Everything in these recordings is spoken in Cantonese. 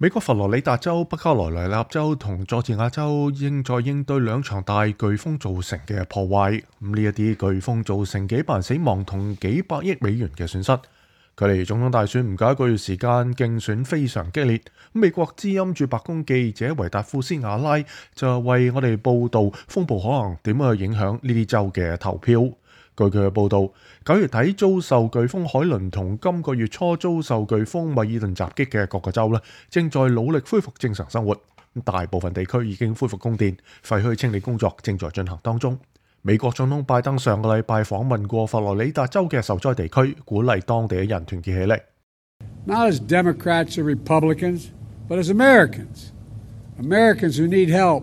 美國佛羅里達州、北卡羅來納州同佐治亞州應在應對兩場大颶風造成嘅破壞。呢一啲颶風造成幾百人死亡同幾百億美元嘅損失。距離總統大選唔夠1個月時間，競選非常激烈。美國之音駐白宮記者維達富斯瓦拉就為我哋報道風暴可能點樣去影響呢啲州嘅投票。據佢嘅報導，9月底遭受颶風海倫同今個月初遭受颶風米爾頓襲擊嘅各個州正在努力恢復正常生活。大部分地區已經恢復供電，廢墟清理工作正在進行當中。美國總統拜登上個禮拜訪問過佛羅里達州嘅受災地區，鼓勵當地嘅人團結起嚟。Not as Democrats or Republicans, but as Americans. Americans who need help,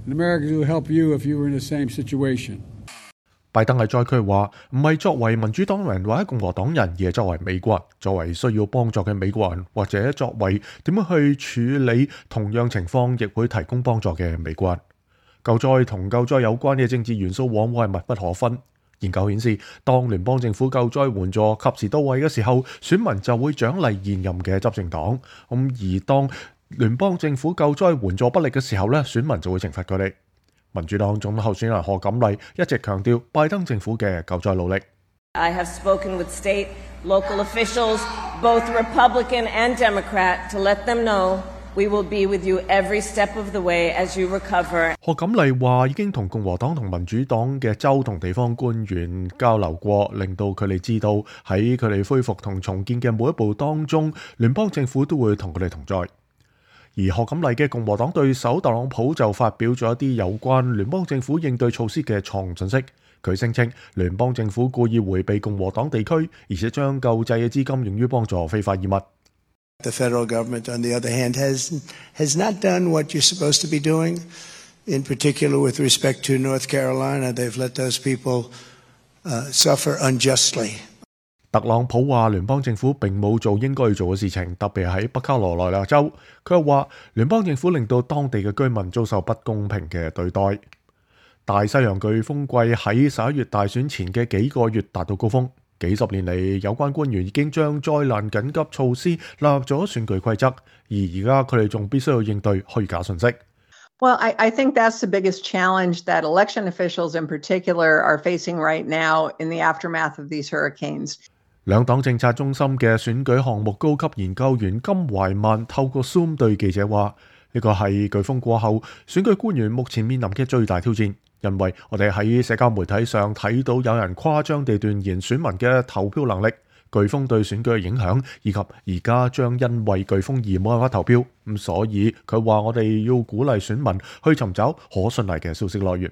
and Americans who will help you if you were in the same situation. 拜登喺災區話，唔係作為民主黨人或者共和黨人，而係作為美國人，作為需要幫助嘅美國人，或者作為點樣去處理同樣情況亦會提供幫助嘅美國人。救災同救災有關嘅政治元素往往係密不可分。研究顯示，當聯邦政府救災援助及時到位嘅時候，選民就會獎勵現任嘅執政黨。而當聯邦政府救災援助不力嘅時候選民就會懲罰佢哋。民主黨總統候選人賀錦麗一直強調拜登政府嘅救災努力。I have spoken with state, local officials, both Republican and Democrat, to let them know we will be with you every step of the way as you recover. 賀錦麗話已經同共和黨同民主黨嘅州同地方官員交流過，令到佢哋知道喺佢哋恢復同重建嘅每一步當中，聯邦政府都會同佢哋同在。而賀錦麗嘅共和黨對手特朗普就發表咗一啲有關聯邦政府應對措施嘅錯誤信息。佢聲稱聯邦政府故意迴避共和黨地區，而且將救濟嘅資金用於幫助非法移民。The federal government, on the other hand, has not done what you're supposed to be doing. In particular, with respect to North Carolina, they've let those people suffer unjustly. 特朗普話聯邦政府並冇做應該要做嘅事情，特別喺北卡羅來納州。佢又話聯邦政府令到當地嘅居民遭受不公平嘅對待。大西洋颶風季喺11月大選前嘅幾個月達到高峰。幾十年嚟，有關官員已經將災難緊急措施納入咗選舉規則，而家佢哋仲必須要應對虛假信息。Well, I think that's the biggest challenge that election officials in particular are facing right now in the aftermath of these hurricanes. 兩黨政策中心嘅選舉項目高級研究員金懷曼透過 Zoom 對記者話：呢個係颶風過後選舉官員目前面臨嘅最大挑戰，因為我哋喺社交媒體上睇到有人誇張地斷言選民嘅投票能力、颶風對選舉嘅影響，以及而家將因為颶風而冇辦法投票。所以佢話我哋要鼓勵選民去尋找可信賴嘅消息來源。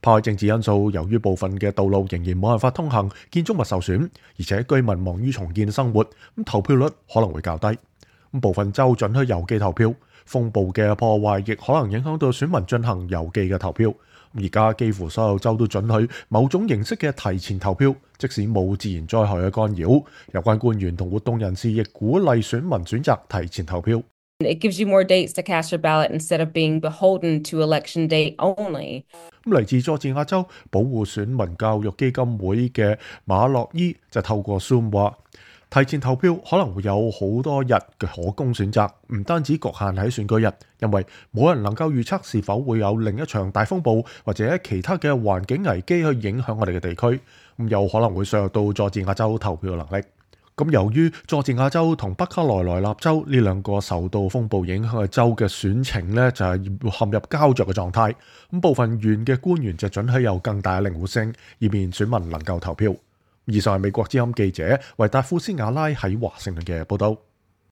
拋開政治因素，由於部分嘅道路仍然冇辦法通行，建築物受損，而且居民忙於重建生活，投票率可能會較低。部分州准許郵寄投票，風暴嘅破壞亦可能影響到選民進行郵寄嘅投票。而家幾乎所有州都准許某種形式嘅提前投票，即使冇自然災害嘅干擾。有關官員同活動人士亦鼓勵選民選擇提前投票。It gives you more dates to cast your ballot instead of being beholden to election day only. 嚟自佐治亞州保護選民教育基金會嘅馬洛伊就透過 Zoom 話，提前投票可能會有好多日嘅可供選擇，唔單止局限喺選舉日，因為冇人能夠預測是否會有另一場大風暴或者其他嘅環境危機去影響我哋嘅地區，有可能會削弱到佐治亞州投票能力。由於佐治亞州同北卡羅來納州呢兩個受到風暴影響嘅州嘅選情就係陷入膠着嘅狀態，部分縣嘅官員就准許有更大嘅靈活性，以便選民能夠投票。以上係美國之音記者維達夫斯瓦拉喺華盛頓嘅報道。